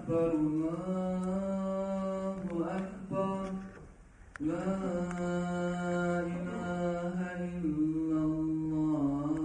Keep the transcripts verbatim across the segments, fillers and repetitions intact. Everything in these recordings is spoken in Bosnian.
أكبر الله أكبر لا إله إلا الله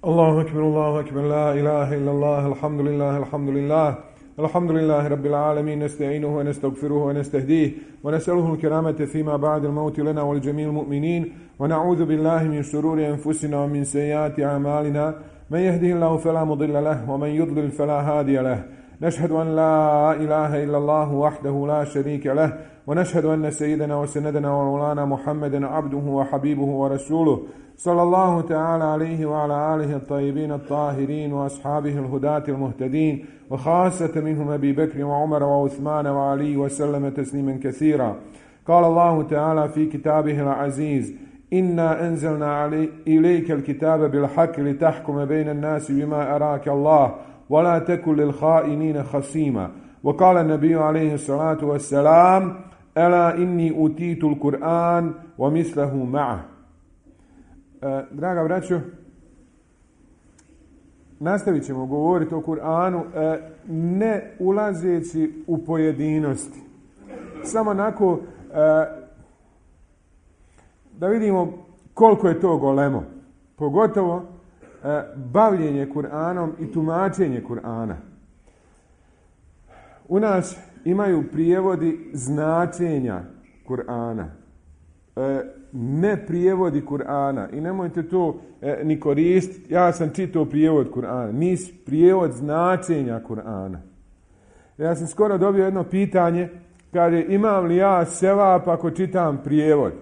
الله أكبر الله أكبر لا إله إلا الله الحمد لله الحمد لله الحمد لله رب العالمين نستعينه ونستغفره ونستهديه ونسأله الكرامة فيما بعد الموت لنا ولجميع المؤمنين ونعوذ بالله من شرور أنفسنا ومن سيئات أعمالنا من يهده الله فلا مضل له ومن يضلل فلا هادي له نشهد أن لا إله إلا الله وحده لا شريك له ونشهد أن سيدنا وسندنا ومولانا محمدا عبده وحبيبه ورسوله صلى الله تعالى عليه وعلى آله الطيبين الطاهرين وأصحابه الهداة المهتدين وخاصة منهم أبي بكر وعمر وعثمان وعلي وسلم تسليما كثيرا. قال الله تعالى في كتابه العزيز إنا أنزلنا علي إليك الكتاب بالحق لتحكم بين الناس بما أراك الله ولا تكن للخائنين خصيما. وقال النبي عليه الصلاة والسلام ألا إني أوتيت القرآن ومثله معه. E, draga braćo, nastavit ćemo govoriti o Kur'anu, e, ne ulazeći u pojedinosti. Samo onako e, da vidimo koliko je to golemo. Pogotovo e, bavljenje Kur'anom i tumačenje Kur'ana. U nas imaju prijevodi značenja Kur'ana. E, ne prijevodi Kur'ana i nemojte to e, ni koristiti. Ja sam čitao prijevod Kur'ana, nisi prijevod značenja Kur'ana. Ja sam skoro dobio jedno pitanje, kaže imam li ja sevap ako čitam prijevod?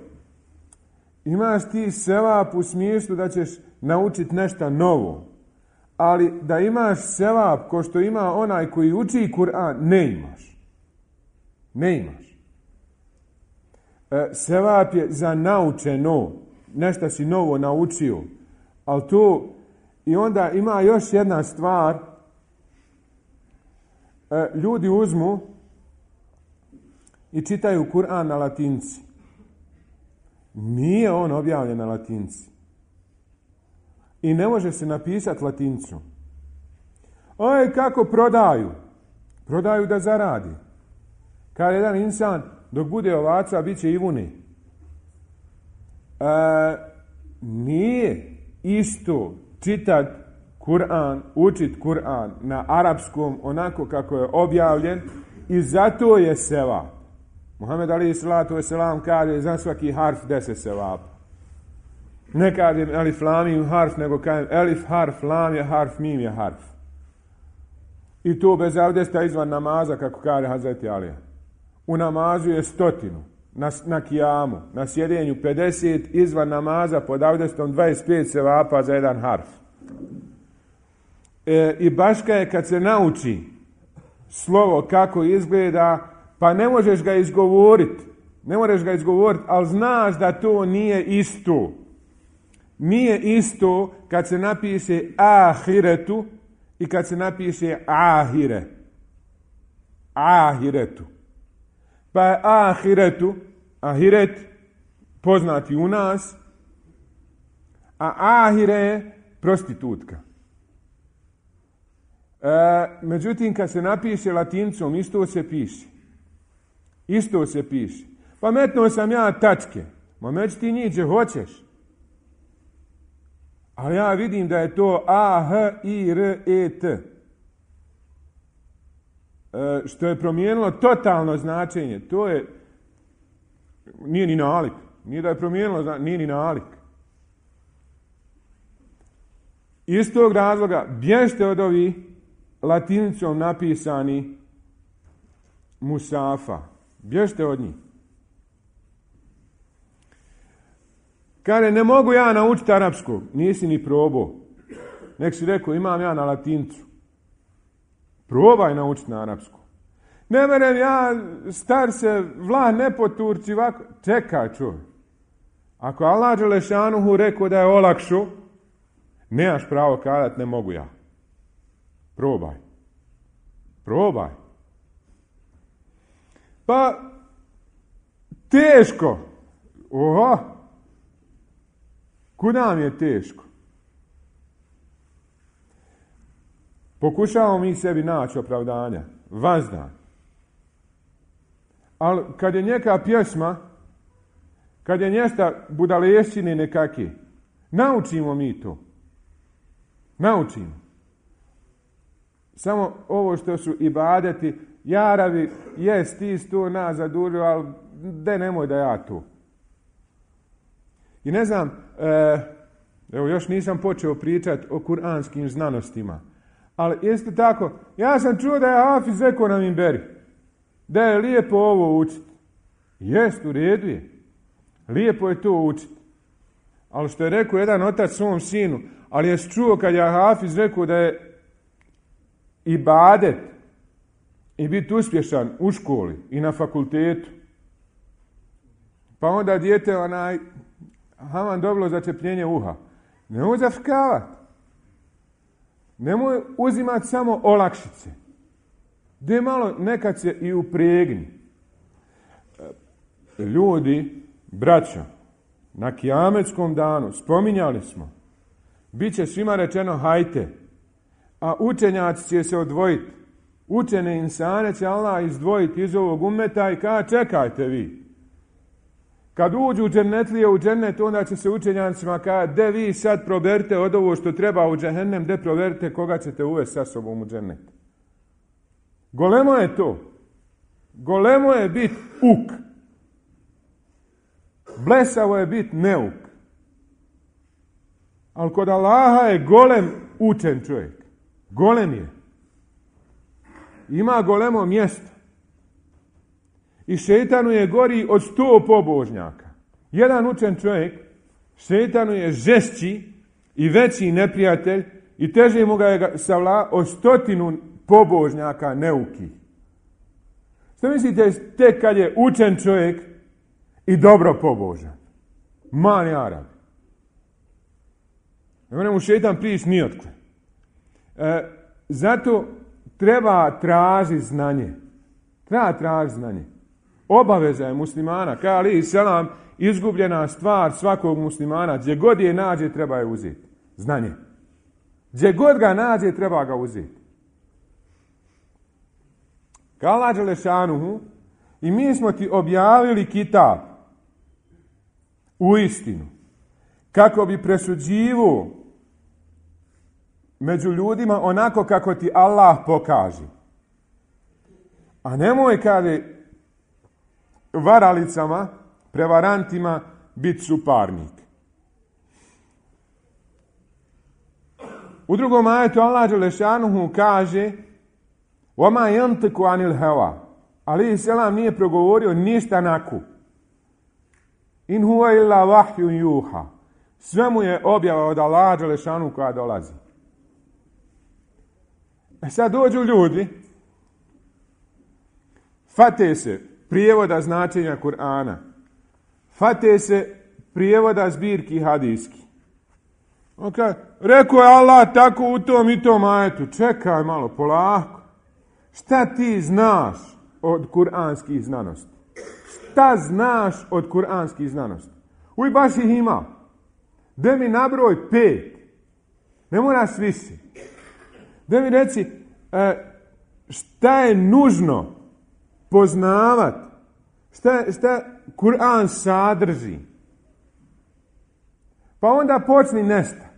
Imaš ti sevap u smislu da ćeš naučiti nešto novo, ali da imaš sevap ko što ima onaj koji uči Kur'an, ne imaš. Ne imaš. Sevap je za naučeno, nešto si novo naučio, ali to i onda ima još jedna stvar, ljudi uzmu i čitaju Kur'an na latinci. Nije on objavljen na latinci i ne može se napisati latincom. Oj, kako prodaju? Prodaju da zaradi. Kad jedan insan dok bude ovaca, bit će i vune. E, nije isto čitat Kur'an, učit Kur'an na arapskom onako kako je objavljen i zato je sevap. Muhammed alejhi salatu vesselam kaže za svaki harf deset sevapa. Ne kaže elif lam mim harf, nego kaže elif harf, lam je harf, mim je harf. I to bez abdesta izvan namaza, kako kaže Hazreti Alija. U namazu je stotinu, na, na kijamu, na sjedenju pedeset, izvan namaza pod abdestom dvadeset pet sevapa za jedan harf. E, I baška je kad se nauči slovo kako izgleda, pa ne možeš ga izgovoriti, ne možeš ga izgovoriti, ali znaš da to nije isto. Nije isto kad se napiše ahiretu i kad se napiše ahire. Ahiretu. Pa je ahiretu, ahiret, poznati u nas, a ahire je prostitutka. E, međutim, kad se napiše latincom, isto se piše. Isto se piše. Pa metnuo sam ja tačke. Ma među ti njih gdje hoćeš. Ali ja vidim da je to A, H, I, R, E, T. E, što je promijenilo totalno značenje. To je, nije ni nalik. Nije da je promijenilo, nije ni nalik. Iz tog razloga bježte od ovih latinicom napisani musafa. Bježte od njih. Kaže, ne mogu ja naučiti arapskog. Nisi ni probao. Nek si rekao, imam ja na latincu. Probaj naučiti na arapsku. Ne merem ja, star se, vlah ne poturci, ovako. Čekaj, čovjek. Ako Allah Đelešanuhu rekao da je olakšo, nemaš pravo kazati, ne mogu ja. Probaj. Probaj. Pa, teško. Oho. Kud nam je teško? Pokušavamo mi sebi naći opravdanja. Vazda. Ali kad je neka pjesma, kad je njesta budalešćine nekaki, naučimo mi to. Naučimo. Samo ovo što su ibadeti, jaravi, jes, ti si to nas zadužio, ali de nemoj da ja to. I ne znam, e, evo još nisam počeo pričati o kuranskim znanostima, ali isto tako, ja sam čuo da je Hafiz rekao na minberi, da je lijepo ovo učiti. Jest, u redu je. Lijepo je to učiti. Ali što je rekao jedan otac svom sinu, ali je čuo kad je Hafiz rekao da je ibadet i biti uspješan u školi i na fakultetu. Pa onda dijete onaj, haman dobilo začepljenje uha. Nemoj zafkavati. Nemoj uzimati samo olakšice. Gdje malo nekad se i upregni. Ljudi, braćo, na kijametskom danu, spominjali smo, bit će svima rečeno hajte, a učenjaci će se odvojiti. Učene insane će Allah izdvojiti iz ovog ummeta i kaže čekajte vi. Kad uđu u džennetlije u džennet, onda će se učenjacima kaže de vi sad proberite od ovo što treba u džehennem, de proberite koga ćete uvesti sa sobom u džennet. Golemo je to. Golemo je bit uk. Blesavo je bit neuk. Ali kod Allaha je golem učen čovjek. Golem je. Ima golemo mjesto. I šejtanu je gori od sto pobožnjaka. Jedan učen čovjek, šejtanu je žešći i veći neprijatelj i teže mu ga je savla od stotinu pobožnjaka neuki. Što mislite tek kad je učen čovjek i dobro pobožan? Mali Arab. Ne mu šejtan prići ni otkle. E, zato treba tražiti znanje. Treba tražiti znanje. Obaveza je muslimana, kao ali selam, izgubljena stvar svakog muslimana, gdje god je nađe treba je uzeti. Znanje. Gdje god ga nađe treba ga uzeti. Kao Allah dželešanuhu, i mi smo ti objavili kitab u istinu, kako bi presuđivo među ljudima onako kako ti Allah pokaže. A nemoj kaže varalicama, prevarantima biti suparnik. U drugom ajetu Allah dželešanuhu kaže وَمَا يَنْتِكُ عَنِ الْهَوَا Ali selam nije progovorio ništa naku. In huwa illa wahyun yuha. Sve mu je objava od Allaha dželešanuhu koja dolazi. E sad dođu ljudi, fate se prijevoda značenja Kur'ana, fate se prijevoda zbirki hadijski. Okay. Rekao je Allah tako u tom i tom ajetu. Čekaj malo, polako. Šta ti znaš od kuranskih znanosti? Šta znaš od kuranskih znanosti? Uj, baš ih ima. Da mi nabroj pet. Ne moraš više. Da mi reci šta je nužno poznavat, šta, šta Kur'an sadrži. Pa onda počni nesta.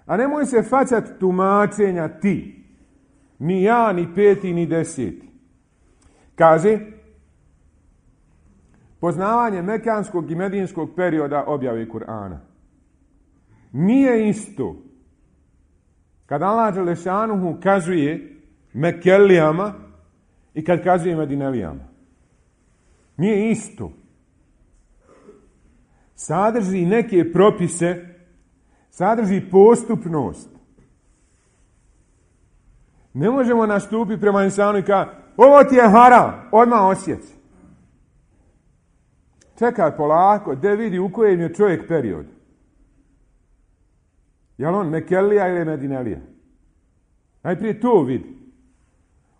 A nemoj se facat tumačenja ti. Ni ja, ni peti, ni deseti. Kaže, poznavanje mekanskog i medinskog perioda objave Kur'ana. Nije isto. Kad Allah dželešanuhu kazuje Mekelijama i kad kazuje Medinelijama. Nije isto. Sadrži neke propise, sadrži postupnost. Ne možemo nastupiti prema insanu i kao, ovo ti je haram, odmah osjeci. Čekaj polako, da vidi u kojem je čovjek period. Je li on Mekelija ili Medinelija? Najprije to vidi.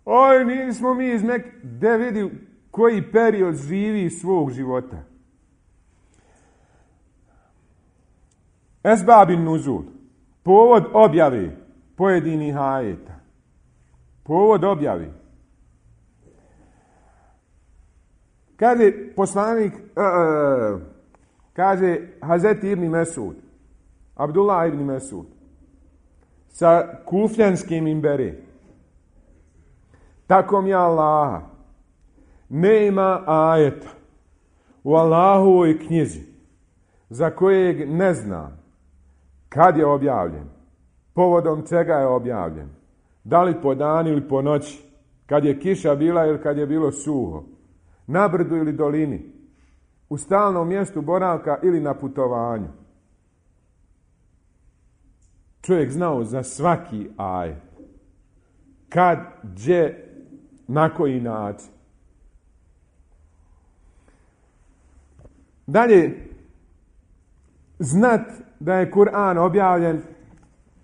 Oj, nismo mi iz Mek... Da vidi koji period živi svog života. Esbabin nuzul. Povod objave pojedinih ajeta. Povod objavi. Kaže poslanik, uh, kaže Hazreti ibn Mesud, Abdullah ibn Mesud, sa kufljanskim imbere. Tako mi Allaha, nema ajeta u Allahovoj knjizi za kojeg ne zna kad je objavljen, povodom čega je objavljen, da li po danu ili po noći, kad je kiša bila ili kad je bilo suho, na brdu ili dolini, u stalnom mjestu boravka ili na putovanju. Čovjek znao za svaki ajet. Kad, gdje, na koji način. Dalje, znat da je Kur'an objavljen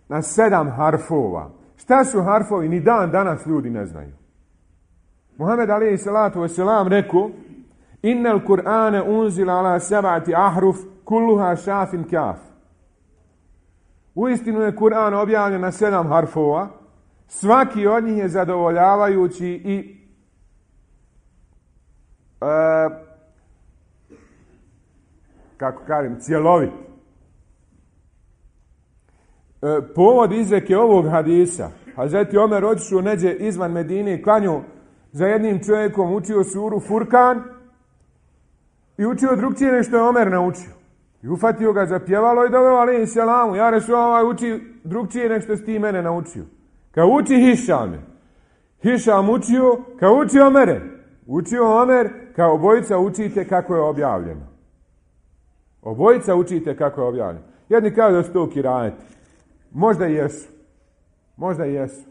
na sedam harfova. Šta su harfovi? Ni dan danas ljudi ne znaju. Muhammed alejhi salatu vesselam rekao: Innal Kur'ane unzila ala sab'ati ahruf kulluha šafin kaf. Uistinu je Kur'an objavljen na sedam harfova. Svaki od njih je zadovoljavajući i e, kako kažem, cjelovit. E, povod izreke ovog hadisa: Hazreti Omer otišao neđe izvan Medine i klanjao za jednim čovjekom, učio suru Furkan i učio drugčije nego što je Omer naučio. I ufatio ga za pjevalo i doveo alejhi selamu: Ja Resulallah, uči drugčije nego što si ti mene naučio. Kao uči Hišame. Hišam učio, kao uči Omere. Učio Omer, kao obojica učite kako je objavljeno. Obojica učite kako je objavljeno. Jedni kažu da su to kirajeti. Možda jesu. Možda jesu.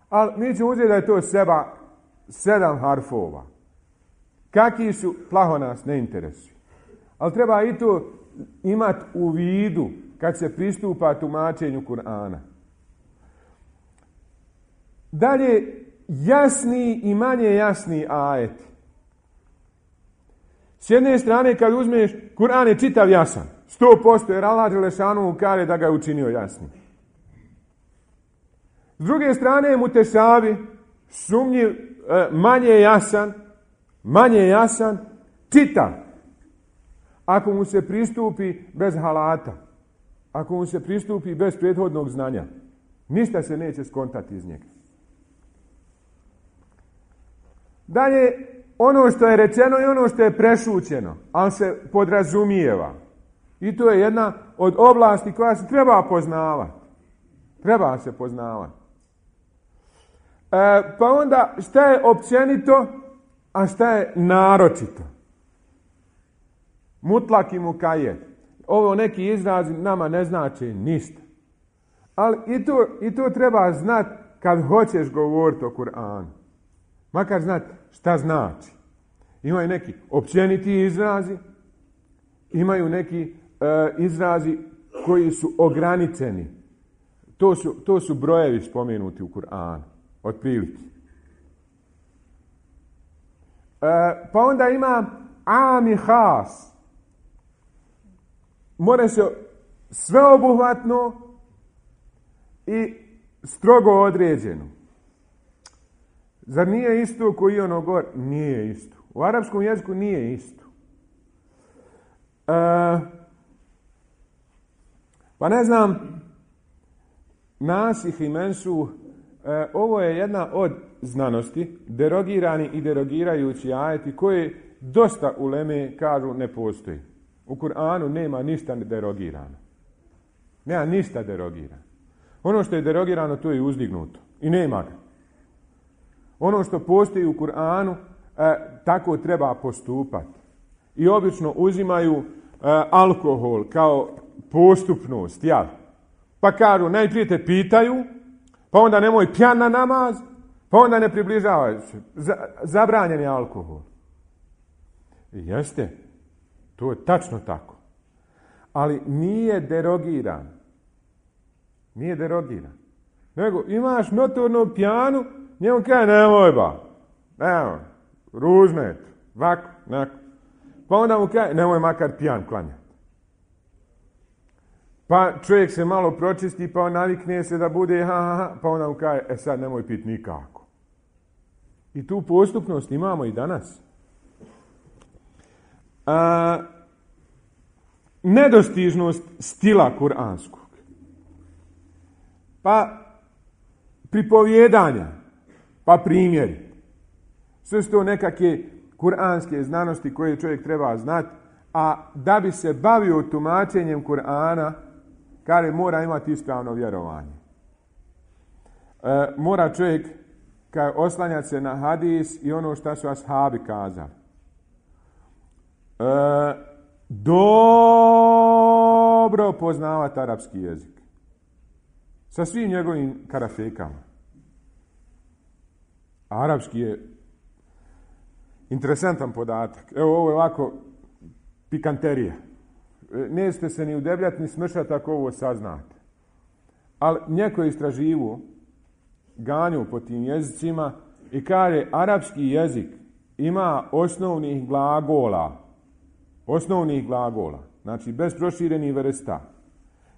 Ali mi ćemo uzeti da je to seba sedam harfova. Kakvi su, plaho nas ne interesuju. Ali treba i to imati u vidu kad se pristupa tumačenju Kur'ana. Dalje, jasni i manje jasni ajeti. S jedne strane, kad uzmeš, Kur'an je čitav jasan. sto posto jer Allah Đelešanu kaže da ga je učinio jasnim. S druge strane, mutešabi, sumnjiv, manje jasan, manje jasan, čitav. Ako mu se pristupi bez halata, ako mu se pristupi bez prethodnog znanja, ništa se neće skontati iz njega. Dalje, ono što je rečeno i ono što je prešućeno, ali se podrazumijeva. I to je jedna od oblasti koja se treba poznavati. Treba se poznavati. E, pa onda, šta je općenito, a šta je naročito? Mutlak i mukajet. Ovo neki izrazi nama ne znači ništa. Ali i to, i to treba znati kad hoćeš govoriti o Kur'anu. Makar znati šta znači. Imaju neki općeniti izrazi, imaju neki e, izrazi koji su ograničeni. To su, to su brojevi spomenuti u Kur'anu, otprilike. E, pa onda ima am i has. Mora se sveobuhvatno i strogo određeno. Zar nije isto koji ono gor? Nije isto. U arapskom jeziku nije isto. E, pa ne znam, nasih i mensuh, e, ovo je jedna od znanosti, derogirani i derogirajući ajeti koje dosta uleme kažu ne postoji. U Kur'anu nema ništa derogirano. Nema ništa derogirano. Ono što je derogirano, to je uzdignuto. I nema ga. Ono što postoji u Kur'anu, e, tako treba postupati. I obično uzimaju e, alkohol kao postupnost, jel? Pa kažu, najprije te pitaju, pa onda nemoj pijan na namaz, pa onda ne približavaju se. Zabranjen je alkohol. I jeste, to je tačno tako. Ali nije derogiran. Nije derogiran. Nego imaš notornog pijanu, njemu kaže, nemoj ba, nemoj, ružno je to, ovako, onako. Pa onda mu kaže, nemoj makar pijan klanjati. Pa čovjek se malo pročisti, pa on navikne se da bude ha, ha, ha, pa ona mu kaže, e sad nemoj piti nikako. I tu postupnost imamo i danas. A, nedostižnost stila kuranskog. Pa pripovjedanja, pa primjeri. Sve su to nekakve kuranske znanosti koje čovjek treba znati, a da bi se bavio tumačenjem Kur'ana, kaže mora imati ispravno vjerovanje. E, mora čovjek kaže, oslanjati se na hadis i ono što su ashabi kazali. E, dobro poznavati arapski jezik. Sa svim njegovim karafekama. Arapski je interesantan podatak. Evo ovo je ovako pikanterija. Nećete se ni udebljati ni smršati ako ovo saznate. Ali neko je istraživo ganju po tim jezicima i kaže arapski jezik ima osnovnih glagola. Osnovnih glagola. Znači bez proširenih vrsta.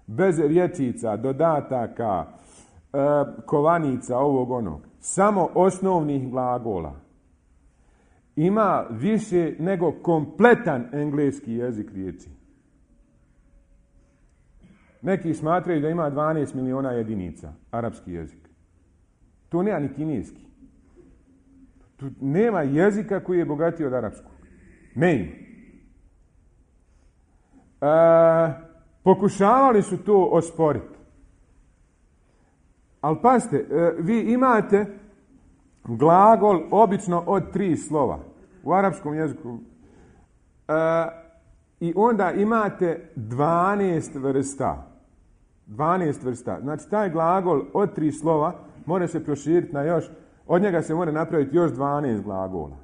Bez rječica, dodataka, e, kovanica, ovog onog. Samo osnovnih glagola. Ima više nego kompletan engleski jezik riječi. Neki smatraju da ima dvanaest miliona jedinica arapski jezik. To nema ni kineski. Tu nema jezika koji je bogatiji od arapskog. Ne ima. E, pokušavali su to osporiti. Ali pazite, e, vi imate glagol obično od tri slova u arapskom jeziku. E, I onda imate dvanaest vrsta. dvanaest vrsta. Znači taj glagol od tri slova mora se proširiti na još, od njega se mora napraviti još dvanaest glagola.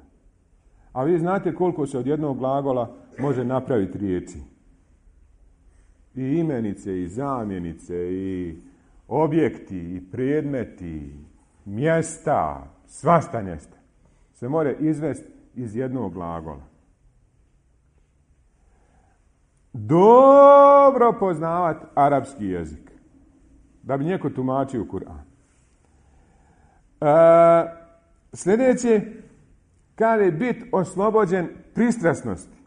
A vi znate koliko se od jednog glagola može napraviti riječi. I imenice, i zamjenice, i objekti, i predmeti, mjesta, svašta nešto se mora izvesti iz jednog glagola. Dobro poznavati arapski jezik da bi neko tumačio Kur'an. E, sljedeće, kada je bit oslobođen pristrasnosti.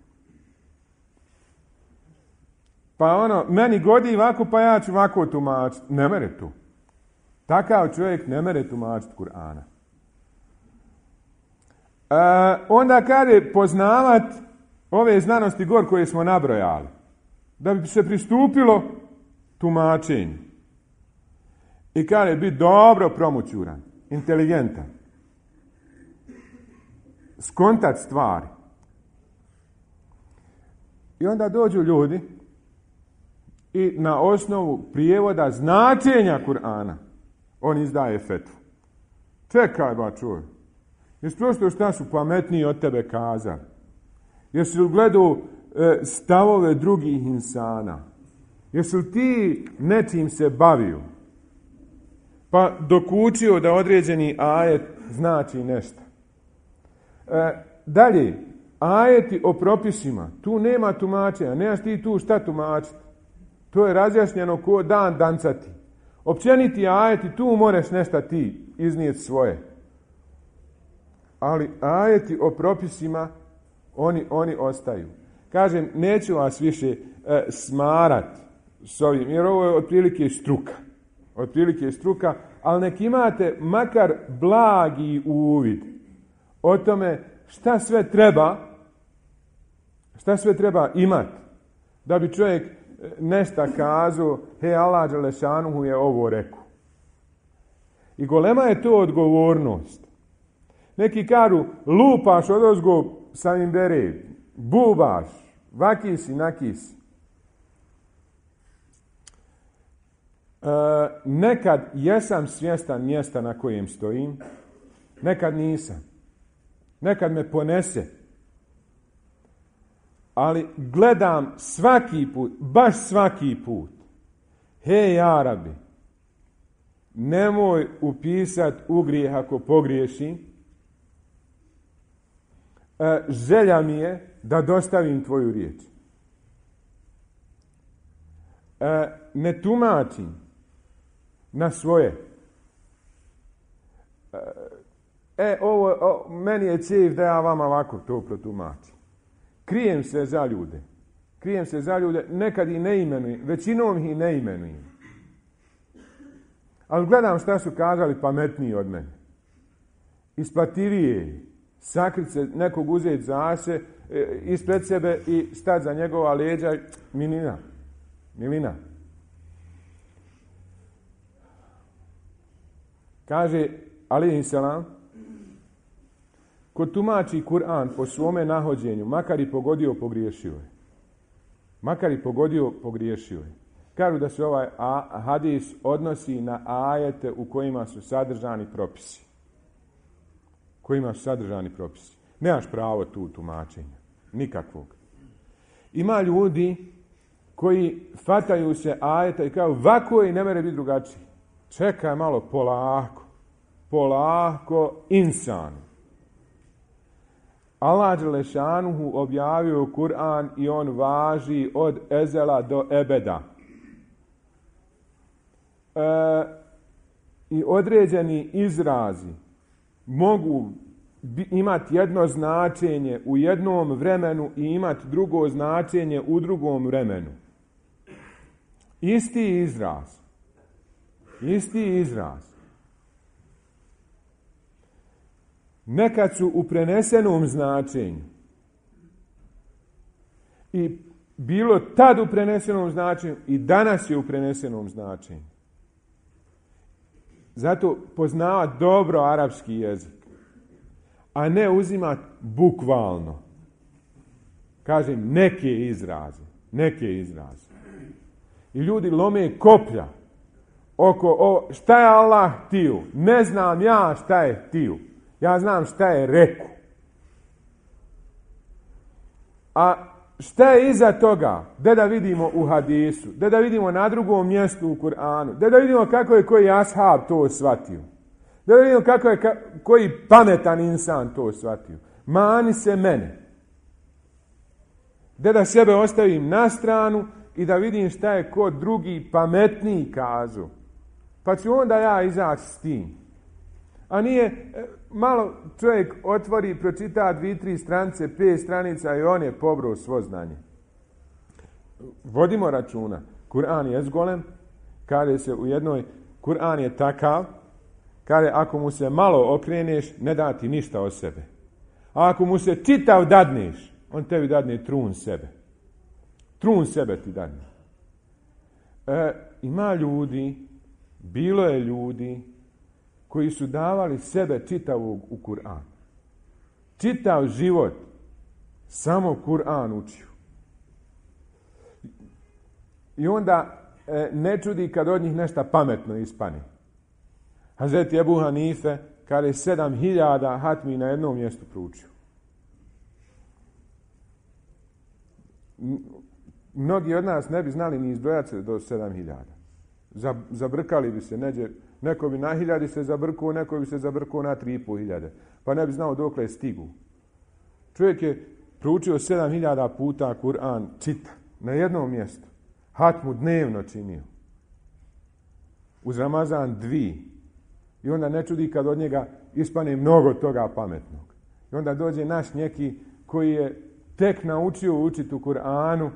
Pa ono, meni godi ovako, pa ja ću ovako tumačiti. Ne mere tu. Takav čovjek ne mere tumačiti Kur'ana. E, onda kada je poznavati ove znanosti gor koje smo nabrojali, da bi se pristupilo tumačenju. I kada je biti dobro promućuran, inteligentan, skontat stvari. I onda dođu ljudi i na osnovu prijevoda značenja Kur'ana on izdaje fetvu. Čekaj ba čuj. Jesi prosto šta su pametniji od tebe kazali? Jesi li gledao e, stavove drugih insana? Jesi li ti nečim se bavio? Pa dok učio da određeni ajet znači nešto. E, dalje, ajeti o propisima. Tu nema tumačenja. Nemaš ti tu šta tumačiti. To je razjašnjeno ko dan dancati. Općeniti ajeti, tu moraš nešto ti iznijeti svoje. Ali ajeti o propisima Oni, oni ostaju. Kažem, neću vas više e, smarati s ovim, jer ovo je otprilike struka. Otprilike struka, ali nek imate makar blagi uvid o tome šta sve treba, šta sve treba imati da bi čovjek nešto kazao, he, Allah dželešanuhu je ovo rekao. I golema je to odgovornost. Neki kažu, lupaš odozgo sa imbere, bubaš, vakisi, nakisi. E, nekad jesam svjestan mjesta na kojem stojim, nekad nisam. Nekad me ponese. Ali gledam svaki put, baš svaki put. Hej, Arabi, nemoj upisati u grijeh ako pogriješim. E, želja mi je da dostavim tvoju riječ. e, ne tumačim na svoje. E, ovo, o, meni je cilj da ja vama ovako to protumačim. Krijem se za ljude. Krijem se za ljude, nekad i ne imenujem, većinom ih i ne imenujem. Ali gledam šta su kazali pametniji od mene. Isplativije sakrit se, nekog uzeti za se, e, ispred sebe i stati za njegova leđa. Milina. Milina. Kaže alejhi selam, ko tumači Kur'an po svome nahođenju, makar i pogodio, pogriješio je. Makar i pogodio, pogriješio je. Kažu da se ovaj a, hadis odnosi na ajete u kojima su sadržani propisi. Kojima su sadržani propisi. Nemaš pravo tu tumačenja. Nikakvog. Ima ljudi koji fataju se ajeta i kažu ovako i ne mere biti drugačiji. Čekaj malo, polako. Polako, insan. Allah dželešanuhu objavio Kur'an i on važi od ezela do ebeda. E, I određeni izrazi mogu imati jedno značenje u jednom vremenu i imati drugo značenje u drugom vremenu. Isti izraz. Isti izraz. Nekad su u prenesenom značenju. I bilo tad u prenesenom značenju i danas je u prenesenom značenju. Zato poznava dobro arapski jezik. A ne uzima bukvalno. Kažem, neke izraze. Neke izraze. I ljudi lome koplja oko o, šta je Allah htio. Ne znam ja šta je htio. Ja znam šta je rekao. A šta je iza toga? Gde da vidimo u hadisu? Gde da vidimo na drugom mjestu u Kur'anu? Gde da vidimo kako je koji ashab to shvatio? Gde da vidimo kako je ka, koji pametan insan to shvatio? Mani se mene. Gde da sebe ostavim na stranu i da vidim šta je ko drugi pametniji kazao. Pa ću onda ja izaći s tim. A nije, malo čovjek otvori, pročita dvije, tri stranice, pet stranica i on je pobrao svo znanje. Vodimo računa. Kur'an je zgolem, kaže se u jednoj, Kur'an je takav, kaže ako mu se malo okreneš, ne da ti ništa od sebe. A ako mu se čitav dadneš, on tebi dadne trun sebe. Trun sebe ti dadne. E, ima ljudi, bilo je ljudi, koji su davali sebe čitavog u Kur'an. Čitav život samo Kur'an učio. I onda e, ne čudi kad od njih nešto pametno ispane. Hazreti Ebu Hanife kada je sedam hiljada hatmi na jednom mjestu proučio. Mnogi od nas ne bi znali ni izbrojati se do sedam hiljada. Zabrkali bi se, neđe, neko bi na hiljadi se zabrkuo, neko bi se zabrkuo na tri i pol hiljade. Pa ne bi znao dokle je stigu. Čovjek je proučio sedam hiljada puta Kur'an, čita, na jednom mjestu. Hatmu dnevno činio. Uz Ramazan dvi. I onda ne čudi kad od njega ispane mnogo toga pametnog. I onda dođe naš neki koji je tek naučio učiti u Kur'anu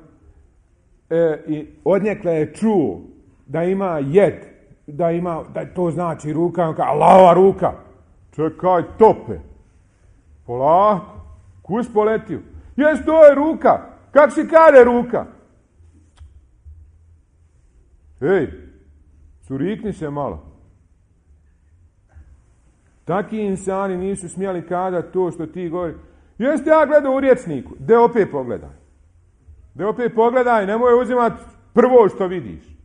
e, i odnjekle je čuo da ima jed, da ima, da to znači ruka, on kaže, Allahova ruka. Čekaj, tope. Polako. Kus poletio. Jes, to je ruka. Kak si kade ruka? Ej, curikni se malo. Taki insani nisu smjeli kazati to što ti govori. Jeste ja gledao u rječniku. De opet pogledaj. De opet pogledaj, nemoj uzimati prvo što vidiš.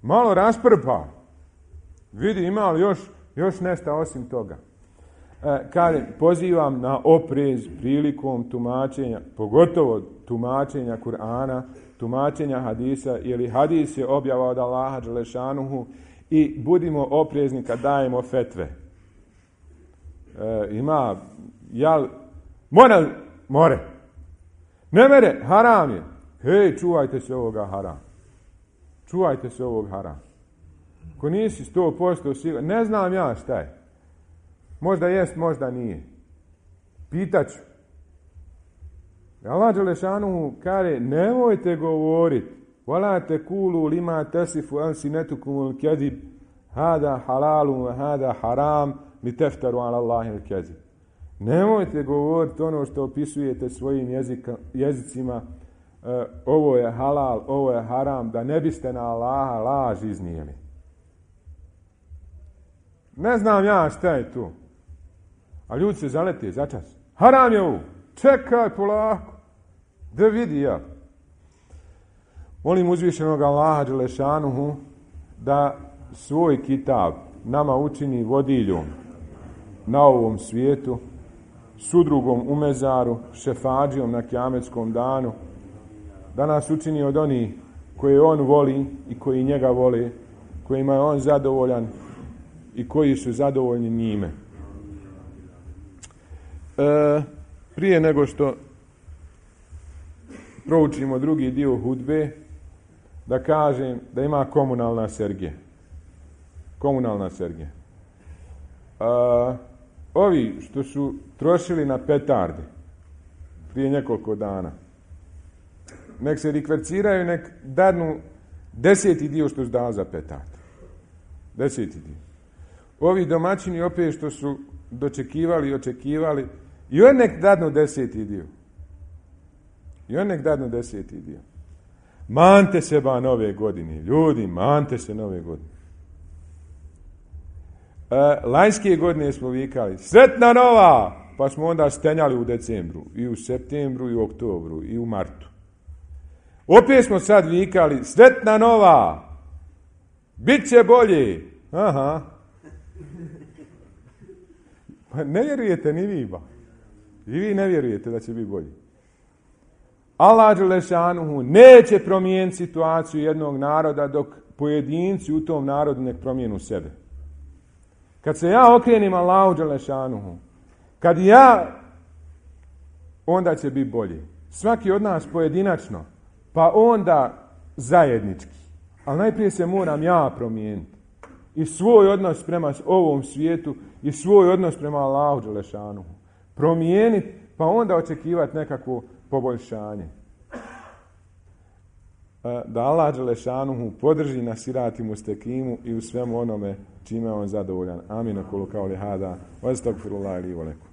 Malo rasprpa. Vidi, ima li još, još nešto osim toga. E, kažem, pozivam na oprez prilikom tumačenja, pogotovo tumačenja Kur'ana, tumačenja hadisa, jer hadis je objava od Allaha dželešanuhu i budimo oprezni kad dajemo fetve. E, ima, jel, more, more. Ne mere, haram je. hej, čuvajte se ovoga harama. Čuvajte se ovog harama. Ko nisi sto posto siguran, ne znam ja šta je. Možda jest, možda nije. Pitaću. Allah dželešanu kaže, nemojte govoriti, wala tekulu lima tasifu alsinatukumul kadhib, hada halalun wa hada haram, li teftaru ala Allahil kadhib. Nemojte govoriti ono što opisujete svojim jezika, jezicima, uh, ovo je halal, ovo je haram, da ne biste na Allaha laž iznijeli. Ne znam ja šta je tu. A ljudi se zalete začas. Haram je ovo. Čekaj polako. Da vidi ja. Molim uzvišenog Allaha dželešanuhu da svoj kitab nama učini vodiljom na ovom svijetu, sudrugom u mezaru, šefadžijom na kijametskom danu, da nas učini od onih koje on voli i koji njega vole, kojima je on zadovoljan i koji su zadovoljni njime. E, prije nego što proučimo drugi dio hudbe, da kažem da ima komunalna sergija. Komunalna sergija. A, ovi što su trošili na petarde prije nekoliko dana, nek se rikverciraju, nek dadnu deseti dio što su dali za petarde. Deseti dio. Ovi domaćini opet što su dočekivali i očekivali, i on nek dadnu deseti dio. I on nek dadnu deseti dio. Mante se ba nove godine. Ljudi, mante se nove godine. E, lanjske godine smo vikali, sretna nova! Pa smo onda stenjali u decembru, i u septembru, i u oktobru, i u martu. Opet smo sad vikali, sretna nova! Bit će bolje! Aha. Pa ne vjerujete ni vi ba. I vi ne vjerujete da će biti bolje. Allah dželešanuhu neće promijeniti situaciju jednog naroda dok pojedinci u tom narodu nek promijenu sebe. Kad se ja okrenim Allahu dželešanuhu, kad ja, onda će biti bolje. Svaki od nas pojedinačno, pa onda zajednički. Ali najprije se moram ja promijeniti. I svoj odnos prema ovom svijetu i svoj odnos prema Allahu dželešanuhu promijeniti, pa onda očekivati nekakvo poboljšanje. Da Allah dželešanuhu podrži na sirati mustekimu i u svemu onome čime on zadovoljan. Amin. Kulu kauli hada. Wa astagfirullahi li wa lakum.